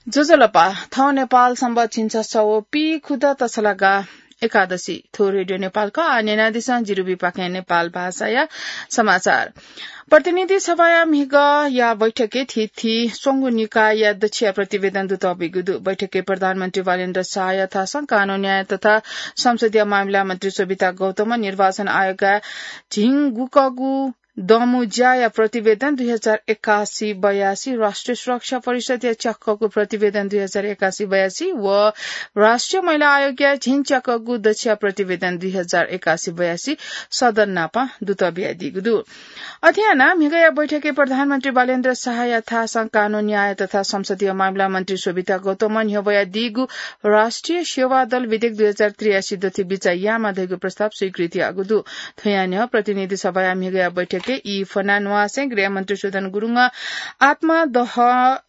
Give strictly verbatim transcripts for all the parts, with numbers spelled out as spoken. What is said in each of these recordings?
ज्वजलपा, थौं नेपाल संवत् झिंछसः व पीखुदँ तछलागा एकादशी। थ्व रेडियो नेपाल खः। आः न्यनादिसँ जिरुबिपाखें नेपाल भाषाया समाचार। प्रतिनिधि सभाया म्हिगःया बैठकय् थीथी स्वंगू निकायया दच्छिया प्रतिवेदन दुतःबिगु दु। बैठकय् प्रधानमन्त्री बालेन्द्र शाहया थासं कानून न्याय तथा संसदीय मामिला मन्त्री शोभिता गौतमं निर्वाचन आयोगया झिंगुकगू दमु ज्याया प्रतिवेदन दुई हजार एकासी बयासी, राष्ट्रिय सुरक्षा परिषदया च्याकःगु प्रतिवेदन दुई हजार एकासी बयासी व राष्ट्रिय महिला आयोगया झिंच्याकःगु दच्छिया प्रतिवेदन दुई हजार एकासी बयासी सदन नाप दुत बियादीगु दु। अथे यानाः म्हिगःया बैठकय् प्रधानमन्त्री बालेन्द्र शाहया थासं कानून न्याय तथा संसदीय मामिला मन्त्री शोभिता गौतमं न्ह्यब्वयादीगु राष्ट्रिय सेवा दल विधेयक दुई हजार त्रियासी दथि बिचाः यायेमाः धइगु प्रस्ताव स्वीकृत याःगु दु। थ्वया न्ह्यः प्रतिनिधि सभाया म्हिगःया बैठकय् ई फना न्वासय् गृहमन्त्री सुदन गुरुङं आत्मा दह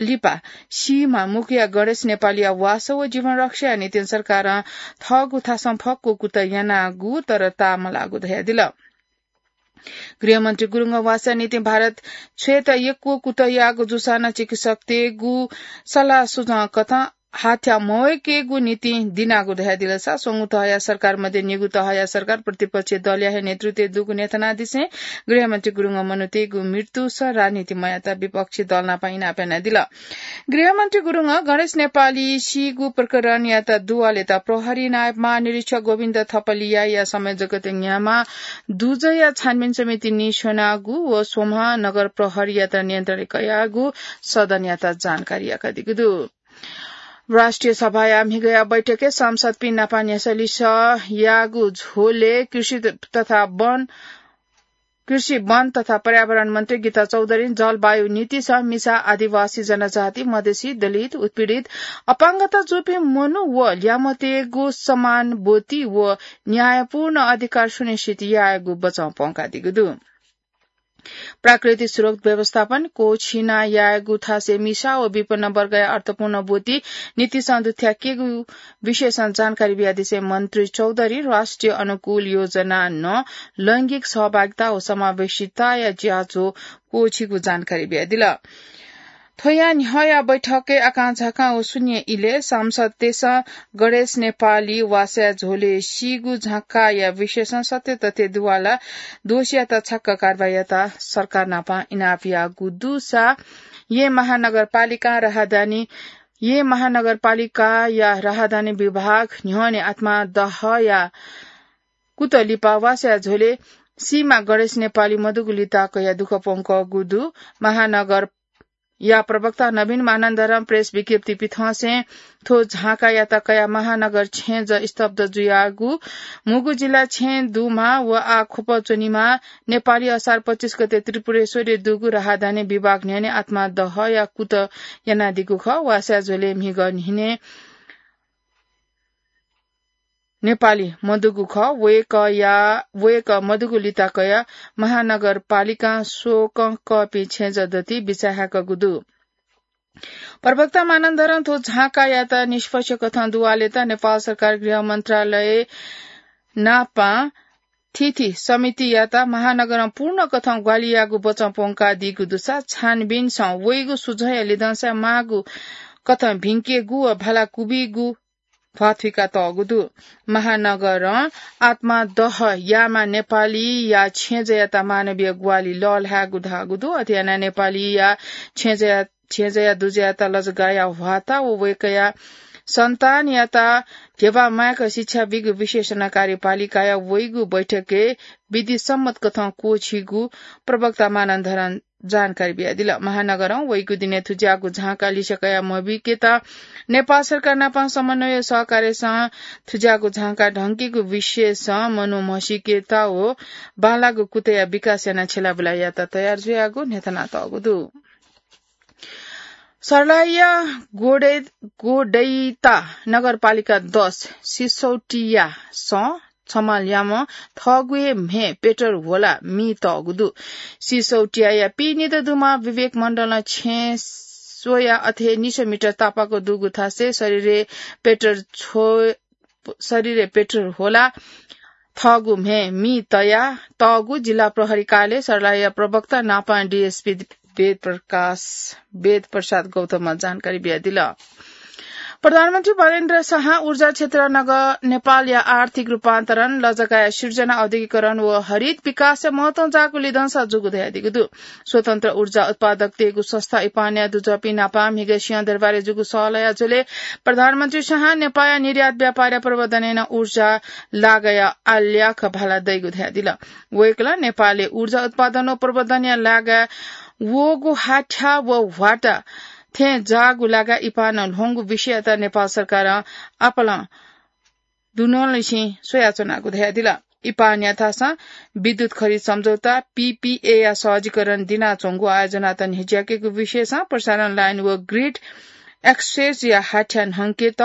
लिपा सीमा मुक्तिया गणेश नेपालीया वासः व जीवन रक्षाया निंतिं सरकारं थःगु थासं फक्व कुतः यानागु तर ताःमलाःगु धयादिल। गृहमन्त्री गुरुङं वासःया निंतिं भारत छ्वयेत यक्व कुतः याःगु जूसां नं चिकित्सकतय्गु सल्लाह सुझाव कथं हाथ्या मवय्केगु निंतिं दिनागु धयादिलसा स्वंगू तहया सरकार मध्ये निगू तहया सरकार प्रतिपक्षी दलया हे नेतृत्वय् दुगु न्ह्यथनादिसें गृहमन्त्री गुरुङं मनूतय्गु मृत्युस राजनीति मयात विपक्षी दल नाप इनाप यानादिल। गृहमन्त्री गुरुङं गणेश नेपाली सीगु प्रकरणयात दुवालेत प्रहरी नायब महानिरीक्षक गोविन्द थपलियाया संयोजकत्वय् न्ह्यामा दुजःया छानबिन समिति निस्वनागु व स्वम्ह नगर प्रहरीयात नियन्त्रणय् कयागु सदनयात जानकारी याकादीगु दु। राष्ट्रिय सभाया म्हिगःया बैठकय् सांसदपिं नाप न्ह्यसः लिसः याःगु झ्वलय् कृषि तथा वन कृषि, वन तथा पर्यावरण मन्त्री गीता चौधरीं जलवायु नीतिस मिसा, आदिवासी जनजाति, मधेसी, दलित, उत्पीडित, अपाङ्गता जूपिं मनू व ल्यामतय्गु समान ब्वति व न्यायपूर्ण अधिकार सुनिश्चित यायेगु बचं प्वंकादीगु दु। प्राकृतिक स्रोत व्यवस्थापन, क्वःछिना यायेगु थासय् मिसा व विपन्न वर्गया अर्थपूर्ण ब्वति नीतिसं दुथ्याकेगु विषयसं जानकारी बियादिसें मन्त्री चौधरीं राष्ट्रिय अनुकूल योजना नं लैंगिक सहभागिता व समावेशिताया ज्याझ्वः क्वःछिगु जानकारी बियादिल। थ्वया न्ह्यःया बैठकय् आकांझाकां व शून्य इलय् सांसदतय्सं गणेश नेपाली वासः झ्वलय् सीगु झाँक्काया विषयसं सत्य तथ्य दुवाला दोषीयात छाक्क कारवाही यात सरकार नाप इनाप याःगु दुसा येँ महानगरपालिकां राहदानी येँ महानगरपालिकाया राहदानी विभाग न्ह्यःने आत्मा दहया कुतः लिपा वासः झ्वलय् सीमा गणेश नेपाली मदुगु लिता कयाः दुःख प्वंकःगु दु। महानगरया प्रवक्ता नवीन मानन्धरं प्रेस विज्ञप्ति पिथंसें थ्व झाँक्कायात कयाः महानगर छेँजः स्तब्ध जुयागु, म्हुगु जिल्ला छेँ दुमाः व आः ख्वप च्वनेमाः, नेपाली असार पच्चिस गते त्रिपुरेश्वरय् दुगु राहदानी विभाग न्ह्यःने आत्मा दहया कुतः यानादीगु खः। वासः झ्वलय् म्हिगः न्हिने नेपाली मदुगु खः। वय्कःया, वय्कः मदुगु लिता कयाः महानगरपालिकां स्वकं कःपिं छेँजः दथुइ बिचाः हाय्कागु दु। प्रवक्ता मानन्धरं थ्व झाँक्कायात निष्पक्ष कथं दुवालेत नेपाल सरकार गृह मन्त्रालय नापं थीथी समितियात महानगरं पूर्ण कथं ग्वाहालि याःगु बचं प्वंकादीगु दुसा छानबिनसं वइगु सुझःया लिधंसाय् माःगु कथं भिंकेगु व भाला क्वबिगु ध्वाथुइका तःगु दु। महानगरं आत्मा दह याःमाः नेपालीया छेँजःयात मानवीय ग्वाहालि लःल्हायेगु धाःगु दु। अथे यानाः नेपालीया छेँजःया, छेँजःया दुजःयात लजगाःया ह्वाःता व वय्कःया सन्तानयात ध्यबा माय्क शिक्षा बीगु विशेष कार्यपालिकाया वइगु बैठकय् विधिसम्मत कथं क्वःछिइगु प्रवक्ता मानन्धरं जानकारी बियादिल। महानगरं वइगु दिनय् थुज्याःगु झाँक्का लिसे कया मबीकेत नेपाल सरकार नाप समन्वय सहकार्यसं थुज्याःगु झाँक्का ढंकेगु विषयसं मनू म्हसीकेत व बांलाःगु कुतःया विकास यानाः छ्यलाबुला यायेत तयार जुयागु न्ह्यथनातःगु दु। सर्लाहीया गोडे-, गोडैता नगरपालिका दस सिसौटियासं छम्ह ल्याम्ह थःगु हे म्हे पेट्रोल होला मी तःगु दु। सिसौटियाया पीनिदँ दुमाः विवेक मण्डलं छेँ स्वयाः अथे निसः मिटर तापाक दुगु थासय् शरीरय् पेट्रोल छ्व-, शरीरय् पेट्रोल होला थःगु म्हे मी तया तःगु जिल्ला प्रहरी कार्यालय सर्लाहीया प्रवक्ता नापं डिएसपी वेद प्रकाश, वेद प्रसाद गौतमं जानकारी बियादिल। प्रधानमन्त्री वीरेन्द्र शाहं ऊर्जा क्षेत्र नगः नेपालया आर्थिक रूपान्तरण, लजगाया सिर्जना, औद्योगिकरण व हरित विकासया महत्वं जाःगु लिधंसा जूगु धयादीगु दु। स्वतन्त्र ऊर्जा उत्पादकतय्गु संस्था इपानया दुजःपिं नापं म्हिगः सिंहदरबारय् जूगु सहलया झ्वलय् प्रधानमन्त्री शाहं नेपाःया निर्यात व्यापारया प्रवर्धनय् नं ऊर्जा लागःया आल्याख भाला दइगु धयादिल। वय्कलं नेपालय् ऊर्जा उत्पादन व प्रवर्धनया लागाय् वःगु हाथ्या व ह्वाटा थें जाःगु लागाय् इपानं ल्ह्वंगु विषययात नेपाल सरकारं आपालं दुनुगलंनिसें स्वयाच्वनागु धयादिल। इपानया थासं विद्युत खरिद सम्झौता, पीपीएया सहजीकरण दिनाच्वंगु आयोजनात न्ह्यज्याकेगु विषयसं प्रसारण लाइन व ग्रिड एक्सेसया हाथ्या न्हंकेत,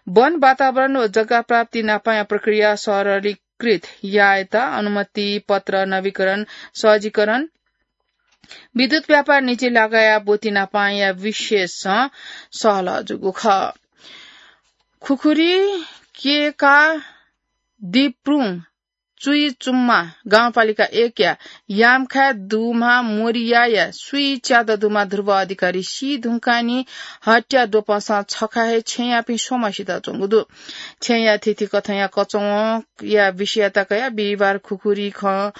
वन वातावरण व जग्गा प्राप्ति नापंया प्रक्रिया सरलीकृत यायेत अनुमति पत्र नवीकरण, सहजीकरण, विद्युत व्यापार निजी लागःया ब्वति नापंया विषयसं सहलह जूगु खः। खुखुरी केका दिप्रुङ चुइचुम्मा गाउँपालिका एकया यामखाय् दुम्ह मोरियाया स्वीच्यादँ दुम्ह ध्रुव अधिकारी सी धुंकाः नि हत्या द्वपंसं छखा हे छेँयापिं स्वम्ह सिताच्वंगु दु। छेँया थीथी कथंया कचवंया विषययात कयाः बिहिबार खुखुरी खँ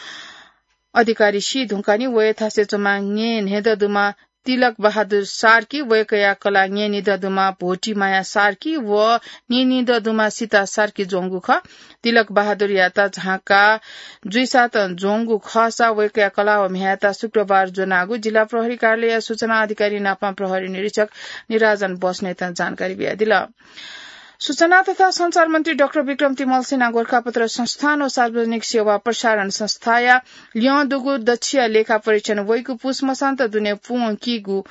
अधिकारी सी धुंकाः नि वया थासय् च्वंम्ह न्येन्हय्दँ दुम्ह तिलक बहादुर सार्की, वय्कःया कलाः न्येनिदँ दुम्ह भोटिमाया सार्की व नीनिदँ दुम्ह सीता सार्की ज्वंगु खः। तिलक बहादुरयात झांका जुइसातं ज्वंगु खःसा वय्कःया कलाः व म्ह्याय्‌यात शुक्रबार ज्वनागु जिल्ला प्रहरी कार्यालयया सूचना अधिकारी नापं प्रहरी निरीक्षक निराजन बस्नेतं जानकारी बियादिल। सूचना तथा सञ्चार मन्त्री डाक्टर विक्रम तिमल्सिनं गोरखापत्र संस्थान व सार्वजनिक सेवा प्रसारण संस्थाया ल्यं दुगु दच्छिया लेखा परीक्षण वइगु पुस मसान्त दुने पूवंकीगु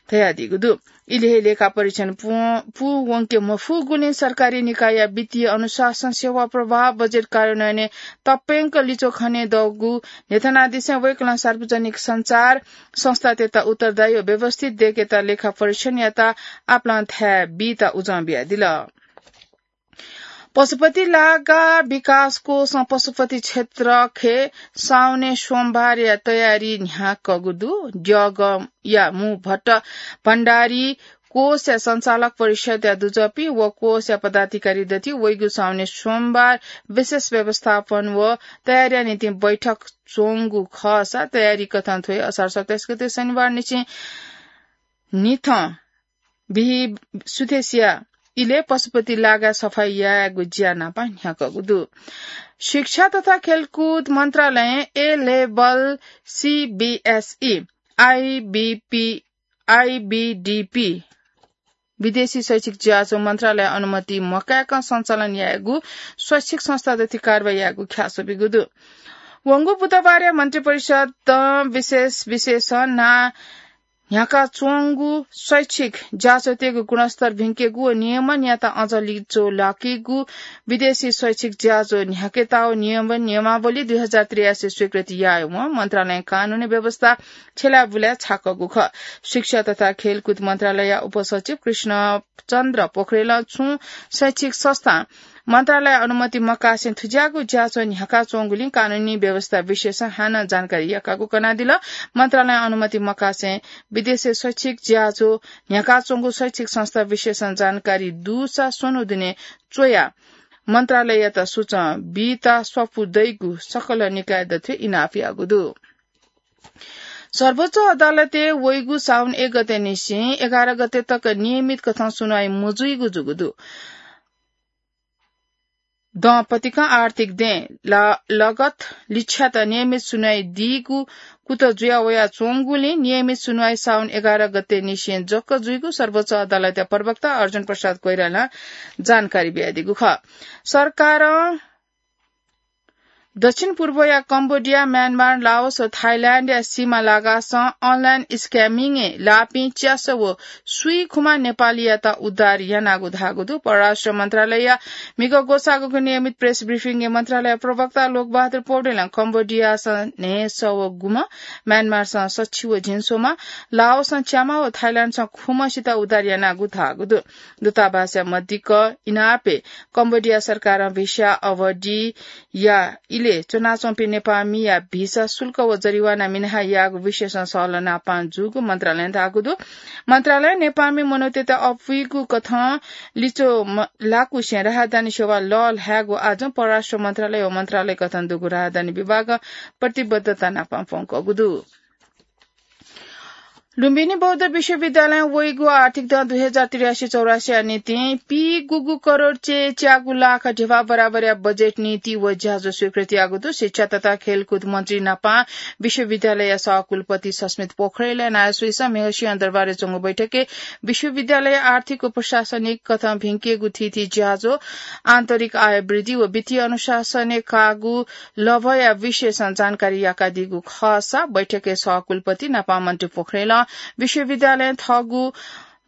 धयादीगु दु। इलि हे लेखा परीक्षण पूवं-, पूवंके मफुगुलिं सरकारी निकायया वित्तीय अनुशासन, सेवा प्रवाह, बजेट कार्यान्वयनय् तप्यंक लिच्वः खनेदःगु न्ह्यथनादिसें वय्कलं सार्वजनिक सञ्चार संस्थातय्त उत्तरदायी व व्यवस्थित दय्केत लेखा परीक्षणयात आपालं थाय् बीत उजं बियादिल। पशुपति लागा विकास कोषं पशुपति क्षेत्रखे साउने सोमबारया तयारी न्ह्याकागु दु। द्यःगया मू भट्ट भण्डारी कोषया सञ्चालक परिषदया दुजःपिं व कोषया पदाधिकारी दथुइ वइगु साउने सोमबार विशेष व्यवस्थापन व तयारीया निंतिं बैठक च्वंगु खःसा तयारी कथं थ्वय् असार सत्ताइस गते शनिबार निसें निथं बिहि सुथसिया इलय् पशुपति लागा सफाई यायेगु ज्या नापं न्ह्याकागु दु। शिक्षा तथा खेलकुद मन्त्रालयं A level, CBSE, IBP, IBDP विदेशी शैक्षिक ज्याझ्वः मन्त्रालय अनुमति मकाय्कं सञ्चालन यायेगु शैक्षिक संस्था दथुइ कारवाही यायेगु ख्याल स्वयादीगु दु। वंगु बुधबारया मन्त्रिपरिषदं विशेष विषयसं ना न्ह्याकाच्वंगु शैक्षिक ज्याझ्वःतय्गु गुणस्तर भिंकेगु व नियमनयात अझ लिच्वः लाकेगु विदेशी शैक्षिक ज्याझ्वः न्ह्याकेत व नियमन नियमावली दुई हजार त्रियासी स्वीकृति यायेवं मन्त्रालयं कानूनी व्यवस्था छ्यलाबुलाय् छाकागु खः। शिक्षा तथा खेलकुद मन्त्रालयया उपसचिव कृष्ण चन्द्र पोखरेलं छुं शैक्षिक संस्थां मन्त्रालय अनुमति मकासें थुज्याःगु ज्याझ्वः न्ह्याकाच्वंगुलिं कानूनी व्यवस्था विषयसं हानं जानकारी याकागु कनादिल। मन्त्रालय अनुमति मकासें विदेशय् शैक्षिक ज्याझ्वः न्ह्याकाच्वंगु शैक्षिक संस्था विषयसं जानकारी दुसा स्वन्हु दुने च्वयाः मन्त्रालययात सूचं बीत स्वापू दइगु सकल निकाय दथुइ इनाप याःगु दु। सर्वोच्च अदालतय् वइगु साउन एक गते निसें एघार गते तक नियमित कथं सुनवाई मजुइगु जूगु दु। दँ पतिकं आर्थिक दँय् ला-, लगत लिच्छ्यात नियमित सुनवाई दीगु कुतः जुया वयाच्वंगुलिं नियमित सुनवाई साउन एघार गते निसें जक जुइगु सर्वोच्च अदालतया प्रवक्ता अर्जुन प्रसाद कोइरालां जानकारी बियादीगु खः। सरकारं दक्षिण पूर्वया कम्बोडिया, म्यानमार, लाओस व थाइल्याण्डया सीमा लागासं अनलाइन स्क्यामिङय् लाःपिं च्यासः व स्वीखुमा नेपालीयात उद्धार यानागु धाःगु दु। परराष्ट्र मन्त्रालयया म्हिगः ग्वसाःगु नियमित प्रेस ब्रिफिङय् मन्त्रालय प्रवक्ता लोकबहादुर पौडेलं कम्बोडियासं न्हय्सः व गुम्ह, म्यानमारसं सछि व झिंस्वम्ह, लाओसं च्याम्ह व थाइल्याण्डसं खुम्हसित उद्धार यानागु धाःगु दु। दूतावासया मदिक्क इनापय् कम्बोडिया सरकारं भिसा अवधिया इले च्वनाच्वंपिं नेपाःमिया भिसा शुल्क व जरिवाना मिनाः याःगु विषयसं सहलह नापां जूगु मन्त्रालयं धाःगु दु। मन्त्रालयं नेपाःमि मनूतय्त अप्वइगु कथं लिच्वः म-, लाकुसें राहदानी सेवा लःल्हायेगु आजं परराष्ट्र मन्त्रालय व मन्त्रालय कथं दुगु राहदानी विभागं प्रतिबद्धता नापां प्वंकूगु दु। लुम्बिनी बौद्ध विश्वविद्यालयं वइगु आर्थिक दँ दुई हजार त्रियासी चौरासीया निंतिं पीगुगु करोड च्यागू लाख ध्यबा बराबरया बजेट नीति व ज्याझ्वः स्वीकृत याःगु दु। शिक्षा तथा खेलकुद मन्त्री नापां विश्वविद्यालयया सहकुलपति सस्मित पोखरेलया नायःसुइसं म्हिगः सिंहदरबारय् च्वंगु बैठकय् विश्वविद्यालय आर्थिक व प्रशासनिक कथं भिंकेगु थीथी ज्याझ्वः, आन्तरिक आय वृद्धि व वित्तीय अनुशासनय् काःगु लभ्वया विषयसं जानकारी याकादीगु खःसा बैठकय् सहकुलपति नापां मन्त्री पोखरेलं विश्वविद्यालयं थःगु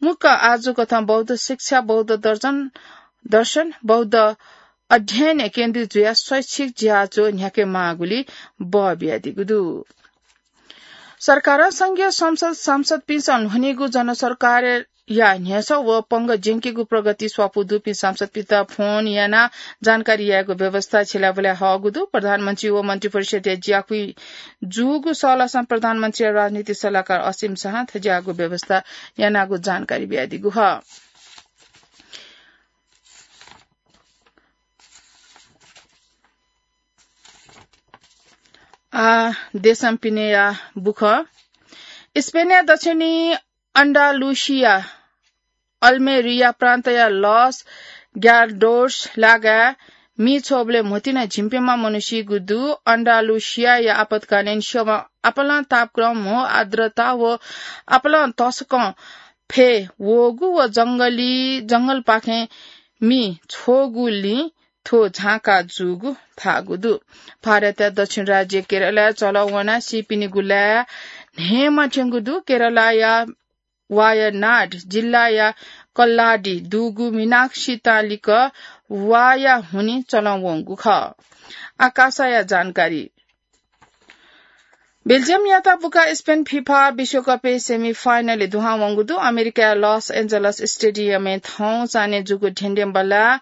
मुक्क आजु कथं बौद्ध शिक्षा, बौद्ध दर्शन, दर्शन, बौद्ध अध्ययन केन्द्रित जुयाः शैक्षिक ज्याझ्वः न्ह्याके माःगुलिं बः बियादीगु दु। सरकारं संघीय संसद सांसदपिन्सं ल्ह्वनीगु जनसरकारया न्ह्यसः व पंगः ज्यंकेगु प्रगति स्वापू दुपिं सांसदपिन्त फोन यानाः जानकारी यायेगु व्यवस्था छिलाबुलाय् हःगु दु। प्रधानमन्त्री व मन्त्रिपरिषदया ज्याकुइ जूगु सहलहसं प्रधानमन्त्रीया राजनीतिक सल्लाहकार असीम शाहं थज्याःगु व्यवस्था यानागु जानकारी बियादीगु खः। आ, देशं पिनेया बुखँ। स्पेनया दक्षिणी अन्डालुसिया अल्मेरिया प्रान्तया लस ग्यार्डोस लागाय् मि छ्वःबलय् म्होतिना झिंप्यम्ह मनू सीगु दु। अन्डालुसियाया आपतकालीन सेवां आपालं तापक्रम, म्हो, आर्द्रता व आपालं तसकं फय् वःगु व जंगली, जंगलपाखें मि छ्वःगुलिं थ्व झांका जूगु धाःगु दु। भारतया दक्षिण राज्य केरलाय् चलं वनाः सीपिनिगु लाय् न्हय्‌म्ह थ्यंगु दु। केरलाया वायनाड जिल्लाया कल्लाडी दुगु मीनाक्षी तालिक वाया हुनिं चलं वंगु खः। आकाशया जानकारी। बेल्जियमयात बुकाः स्पेन फिफा विश्वकपय् सेमिफाइनलय् दुहां वंगु दु। अमेरिकाया लस एन्जलस स्टेडियमय् थौं चान्हय् जूगु धेंधेंबल्लाः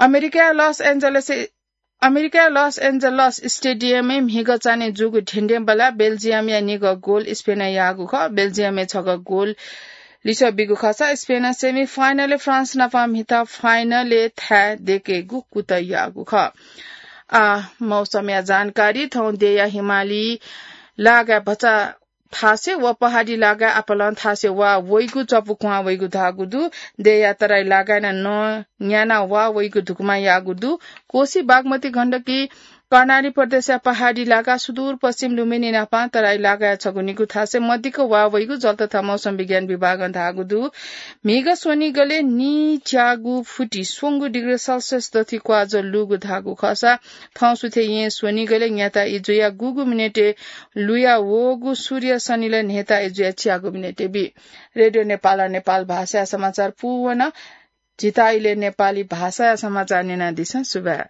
अमेरिकाया लस एन्जलस, अमेरिकाया लस एन्जलस स्टेडियमय् म्हिगः चान्हय् जूगु धेंधेंबल्लाः बेल्जियमया निगः गोल स्पेनं याःगु खः। बेल्जियमय् छगः गोल लिसः बीगु खःसा स्पेनं सेमिफाइनलय् फ्रान्स नाप म्हिता फाइनलय् थाय् दय्‌केगु कुतः याःगु खः। आ, मौसमया जानकारी। थौं देय्‌या हिमाली लागाय् भचा थासय् व पहाडी लागाय् आपालं थासय् वा वइगु चपु क्वहां वइगु धाःगु दु। देय्‌या तराई लागाय् नं नं न्याना वा वइगु धुकुमा याःगु दु। कोसी, बागमती, गण्डकी, कर्णाली प्रदेशया पहाडी लागाय् सुदूरपश्चिम लुम्बिनी नाप तराई लागाय् छगू निगू थासय् मदिक्क वा वइगु जल तथा मौसम विज्ञान विभागं धाःगु दु। म्हिगः स्वनिगलय् नीच्यागू फुति स्वंगू डिग्री सेल्सियस दथुइ क्वाःज्वः लूगु धाःगु खःसा थौं सुथय् येँ स्वनिगलय् न्याता इजुया गुगु मिनेटय् लुया वःगु सूर्य सनिलय् न्हय्‌ता इजुया च्यागू मिनेटय् बी। रेडियो नेपालं नेपाल भाषाया समाचार पूवन। झीत इलय् नेपाली भाषाया समाचार न्यनादिसँ। सुभाय्।